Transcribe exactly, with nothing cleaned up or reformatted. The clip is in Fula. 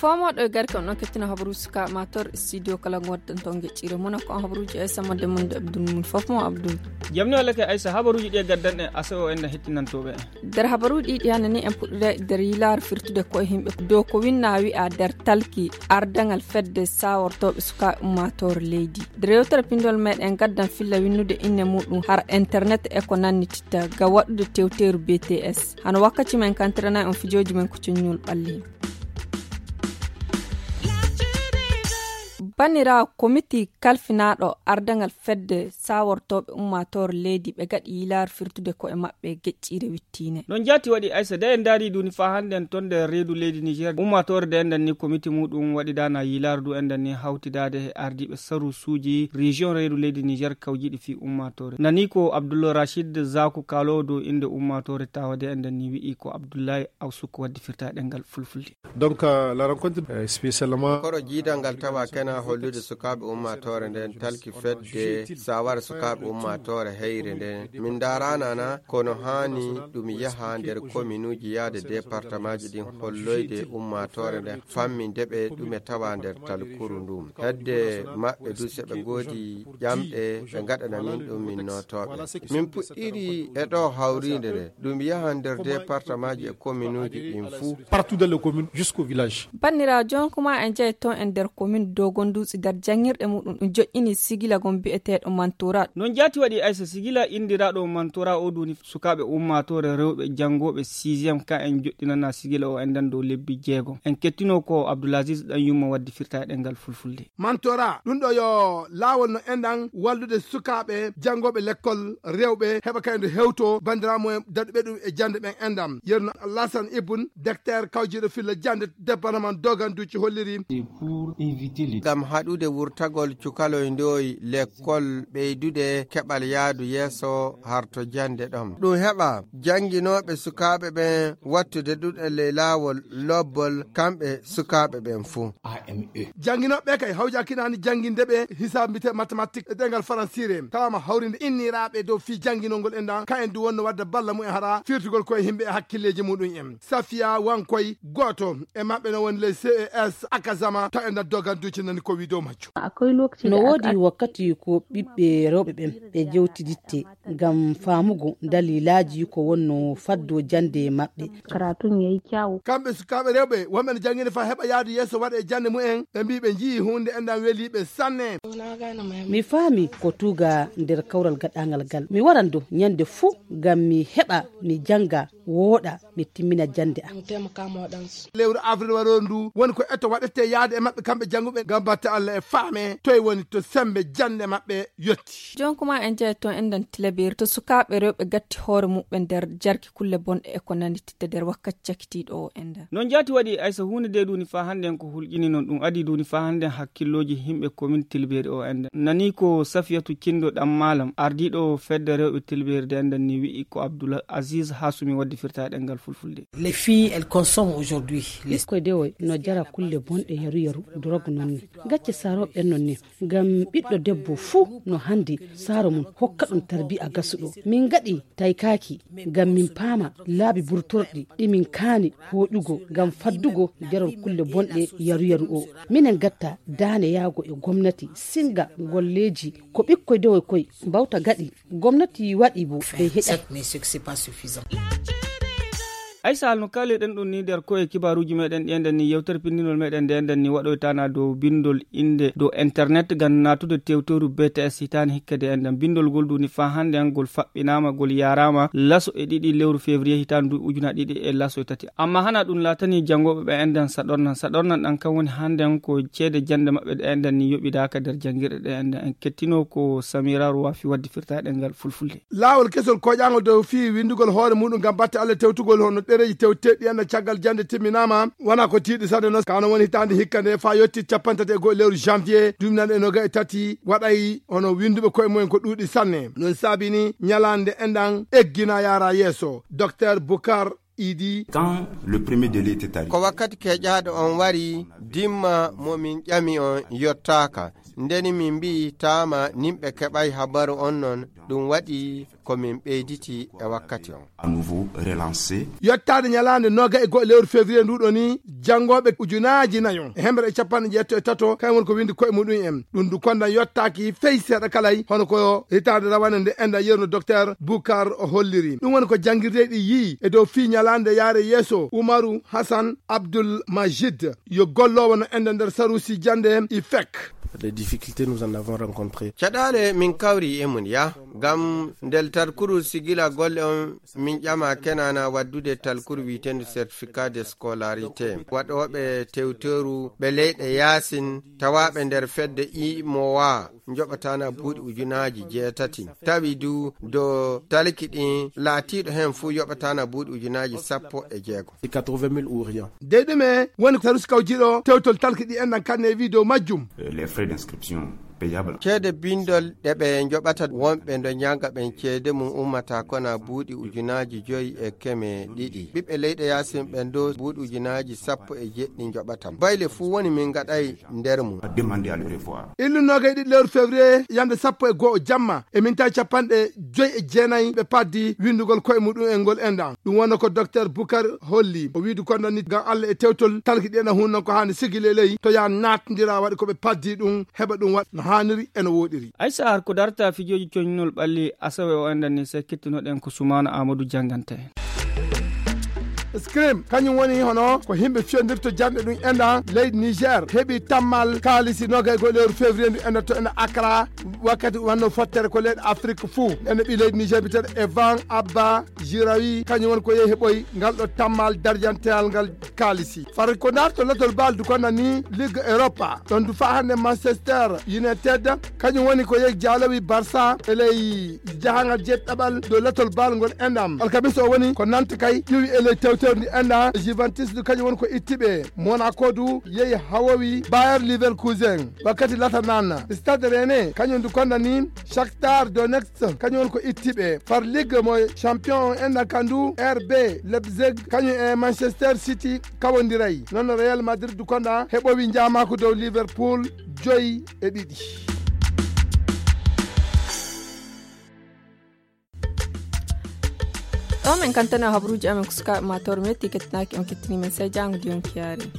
Foomoɗo e garke on ɗon kettina habaruuji sukaaɓe mator studio kala ngonɗen toon geccire mona ko on habaruuji aysa modde mum de abdul mum fof mo abdul. Jamni walla ke aysa habaruuji ɗi e gaddanɗen asa o en hettinantooɓe en. Nder habaruuji ɗiɗi hannde ni en puɗɗude nder yilaare firtude koye yimɓe dow ko winna wi'a nder talki ardangal fedde sawortooɓe sukaaɓe ummaatoore leydi. Nder yewtere pindol meɗen gaddan filla winnude inne muɗum har internet e ko nannititta ga waɗude tewteeru bts hano wakkati men kantirana on fijooji men ko coññol ɓalli. Banniraawo komiti kalfinaaɗo ardangal fedde sawortooɓe ummaatoore leydi ɓe gaɗi yilaare firtude koye maɓɓe geƴƴiire wittiine. Non jaati waɗi aysa da en ndaari duni faa hannde en ton nder reedu leydi niger ummaatoore da enɗan ni komiti muɗum waɗi dana yilaare du enɗan ni hawtidaade e ardiiɓe sarusuuji région reedu leydi niger kawjiɗi fii ummaatoore nani ko abdullah rachid zaku kaalowo dow innde ummaatoore tawa da enɗan ni wi'i ko abdullahi awsuk waddi firta ɗengal fulfulde. Donc la rencontre spécialement koro jiidal ngal tawa kena hollude sukaaɓe ummaatoore nden talki fedde sawara sukaaɓe ummaatoore heyre nden min ndaranana kono haani ɗum yaha nder kominuuji yaade départemaaji ɗin holloyde ummaatoore nden famminde ɓe ɗume tawa nder talkuru ndum hedde maɓɓe du so ɓe ngoodi ƴamɗe ɓe ngaɗana min ɗum min nootooɓe min puɗɗiri e ɗo hawriinde nde ɗum yaha nder départemaaji e kominuuji ɗin fuu. Partout dans les communes jusqu'au village. Banniraawo jonkuma en jeyi toon e nder komin dogonduusi nder janngirɗe muɗum ɗum joƴƴini sigila gon biyeteeɗo mantora. Non jaati waɗi aysa sigila inndiraaɗo mantora o duni sukaaɓe ummaatoore rewɓe janngooɓe sixième ka en joɗɗinana sigila o enɗan dow lebbi jeegom en kettino ko abdoulaziz ɗan yumma waddi firta e ɗengal fulfulde. Mantora ɗum ɗo yo laawol no enɗan wallude sukaaɓe janngooɓe lekkol rewɓe heɓa kaydo hewto banndiraamu en daɗuɓe ɗum e jannde ɓen enɗan yerno lasan ibun dekter kawjiiɗo filla jannde département doganduuci holliri. Ngam haɗude wurtagol cukaloy ndoy lekkol ɓeydude keɓal yaadu yeeso harto jannde ɗon ɗum heɓa jannginooɓe sukaaɓe ɓen wattude ɗuɗe ley laawol lobbol kamɓe sukaaɓe ɓen fuu. Jannginooɓe ɓe kay hawjakinaani jannginde ɓe hisaabite mathématique e ɗengal faransiire tawama hawrinde inniraaɓe dow fii jannginol ngol enɗan ka en du wonno wadde balla mumen hara firtugol koye yimɓe e hakkilleeji muɗum en safiya wankoy gooto e maɓɓe no woni ley ces akazama taw e nder doganduuji nani ko wi dow majjum. No woodi wakkati ko ɓiɓɓe rewɓe ɓen ɓe jewtiditte ngam faamugo dalilaaji ko wonno faddo jannde maɓɓe. Kamɓe sukaaɓe rewɓe wonɓe no janngina faa heɓa yaadu yeeso waɗa e jannde mumen ɓe mbii ɓe njiyii huunde enɗan welii ɓe sanne. Mi faami ko tuuga nder kawral gaɗaangal ngal mi waran dow ñannde fuu ngam mi heɓa mi jannga wooɗa mi timmina jannde am. Lewru avril waroru ndu woni ko eto waɗete yaade e maɓɓe kamɓe jannguɓe ngam batte allah e faame toye woni to semmbe jannde maɓɓe yetti. Jonkuma en jeyi toon enɗan tilaberi to sukaaɓe rewɓe gatti hoore muɓɓe nder jarki kulle bonɗe e ko nandititta nder wakkati cakitiiɗo o enɗan. Non jaati waɗi aysa huunde de ɗuni faa hannde en ko hulƴini non ɗum adi ɗuni faa hannde en hakkillooji yimɓe komin tilberi o enɗan nani ko safiyatu cindo ɗan maalam ardiiɗo fedde rewɓe tilberi de enɗan ni wi'i ko abdoul aziz hasumi waddi firta ɗengal fulfulde. Les filles elles consomment aujourd'hui les ɓikkoy dewoy no jara kulle bonɗe yaru yaru drogue non ni gacce saroɓe ɓen non ni ngam ɓiɗɗo debbo fuu no handi saaro mum hokka ɗum tarbiya gasuɗo min ngaɗi taykaaki ngam min paama laabi burtorɗi ɗi min kaani hooƴugo ngam faddugo jarol kulle bonɗe yaru yaru o minen gatta daane yaago e gomnati singa golleeji ko ɓikkoy dewoy koy mbawta gaɗi gomnati waɗi bo ɓe heɗa. Aysa hal no kaalirɗen ɗum ni nder koye kibaaruuji meɗen ɗi enɗen ni yewtere pinndinol meɗen nde enɗen ni waɗoytana dow binndol innde dow internet ngam naatude tewtoru bts hitaande hikka de enɗen binndol ngol duni faa hannde an ngol faɓɓinaama ngol yaaraama laso e ɗiɗi lewru février hitaande du ujuna ɗiɗi e laso e tati amma hana ɗum laatani janngooɓe ɓe enɗen saɗornan saɗornan ɗan kan woni hannde an ko ceede jannde maɓɓe ɗe enɗen ni yoɓidaaka nder janngirɗe ɗe enɗen en kettino ko samira rowafi waddi firta ɗengal fulfulde. Laawol kesol koƴaangol dow fii winndugol hoore muɗum ngam batte allah tewtugol hono ɗereeji tewteɗi enɗa caggal jannde timminaama wona ko tiiɗi sanne noon kano woni hitaande hikka nde faa yetti capanɗe tati e go'o lewru janvier duuɓi nayi e noga e tati waɗay hono winnduɓe koye mumen ko ɗuuɗi sanne noon saabini ñalaande enɗan eggina yaara yeeso docteur boukar Idi. Quand le premier délai était arrivé, ko wakkati keƴaaɗo on wari, dimma mo min ƴami on yottaaka. Ndeni min mbi'i taama nimɓe keɓay habaru on non, ɗum waɗi ko min ɓeyditi e wakkati on. À nouveau relancé. Yottaade ñalaande noga e go'o lewru février nduɗo ni, janngooɓe ujunaaji nayo e hemre e capanɗe jeetto e tato, kañum woni ko winndi koye muɗum en. Ɗum du kondan yottaaki fey seeɗa kalay, hono ko hitaande rawane nde enda yerno docteur Bukar o holliri. Ɗum woni ko janngirde ɗi yii e dow fii ñalaande yaare yeeso Umaru Hassan Abdul Majid, yo golloowo no enda nder saruusi jannde I F E C. Des difficultés, nous en avons rencontré. Caɗaale min kawri e mun ya, ngam ndel talkuru sigila golle on min ƴama kenana waddude talkuru wi'eteendu certificat de scolarité. Waɗooɓe tewteeru ɓe leyɗe yaasin tawaaɓe nder fedde imowa njoɓatana buuɗi ujunaaji jeetati. Tawi du do talki ɗin laatiiɗo hen fuu yoɓatana buuɗi ujunaaji sappo e jeego. Quatre-vingt mille ou rien. Dey ɗume woni saruusi kawjiiɗo tewtol talki ɗi enɗan kanne e wi'i dow majjum? Euh, les frais d'inscription payables. Ceede bindol ɗe ɓe njoɓata wonɓe ndo ñaga ɓen ceede mum ummata kona buuɗi ujunaaji joyi e keme ɗiɗi. Ɓiɓɓe leyɗe yaasin ɓen do buuɗi ujunaaji sappo e jeɗɗi njoɓata. Bayle fuu woni min ngaɗay nder mum. A demandé à le revoir. Illu noogay ɗiɗi lewru février, yande sappo e go'o jamma, e minti capanɗe joyi e jeenayi, ɓe paddi winndugol koye muɗum en ngol enɗan. Ɗum wonno ko docteur Bukar holli. O wiidi kon ɗon ni, ngam Allah e tewtol, talki ɗi ena hunno ko haani sigi leley, to yaa naatndira waɗi ko ɓe paddi ɗum, heɓa ɗum waɗ no haaniri e no wooɗiri. Ay sahar ko darta fijooji coñnol ɓalli asawe o enɗan ni, se kettunoɗen ko Sumaana Amadou jannganta en. Scrim, kañum woni hono ko yimɓe fiyondirta jannde ɗum enɗan leydi Niger, heɓi tammal kaalisi noogay e go'o lewru février ndu enɗan to enɗan Accra, wakkati wanno fottere ko leyɗe Afrique fuu. Enɗan ɓii leydi Niger biteɗo Evan Abba Jirawi, kañum woni ko yehi heɓoy ngal ɗo tammal darjanteyal ngal kaalisi. Far ko darto lotol bal du konɗan ni Ligue Europa. Ɗon du faa hannde Manchester United, kañum woni ko yehi jaalowi Barça e ley jahangal jeeɗiɗaɓal dow lotol bal ngol enɗan. Alkamis o woni ko Nantes kay ƴuwi e ley tewtewndi enɗan. Juventus du kañum woni ko itti ɓe. Monaco du yehi hawowi Bayer Leverkusen. Wakkati Latanana, Stade Rennais, kañum du konɗan ni Shakhtar Donetsk, kañum woni ko itti ɓe. Far Ligue mo champion on enɗan kandu R B Leipzig, kañum e Manchester City kawondiray. Noon Real Madrid du konɗan heɓowi njaamaaku dow Liverpool joyi e ɗiɗi. Ɗo men kantana habruuji amen ko sukaaɓe ma tawre metti kettinaaki on kettini men sey jaango diyon kiyaari.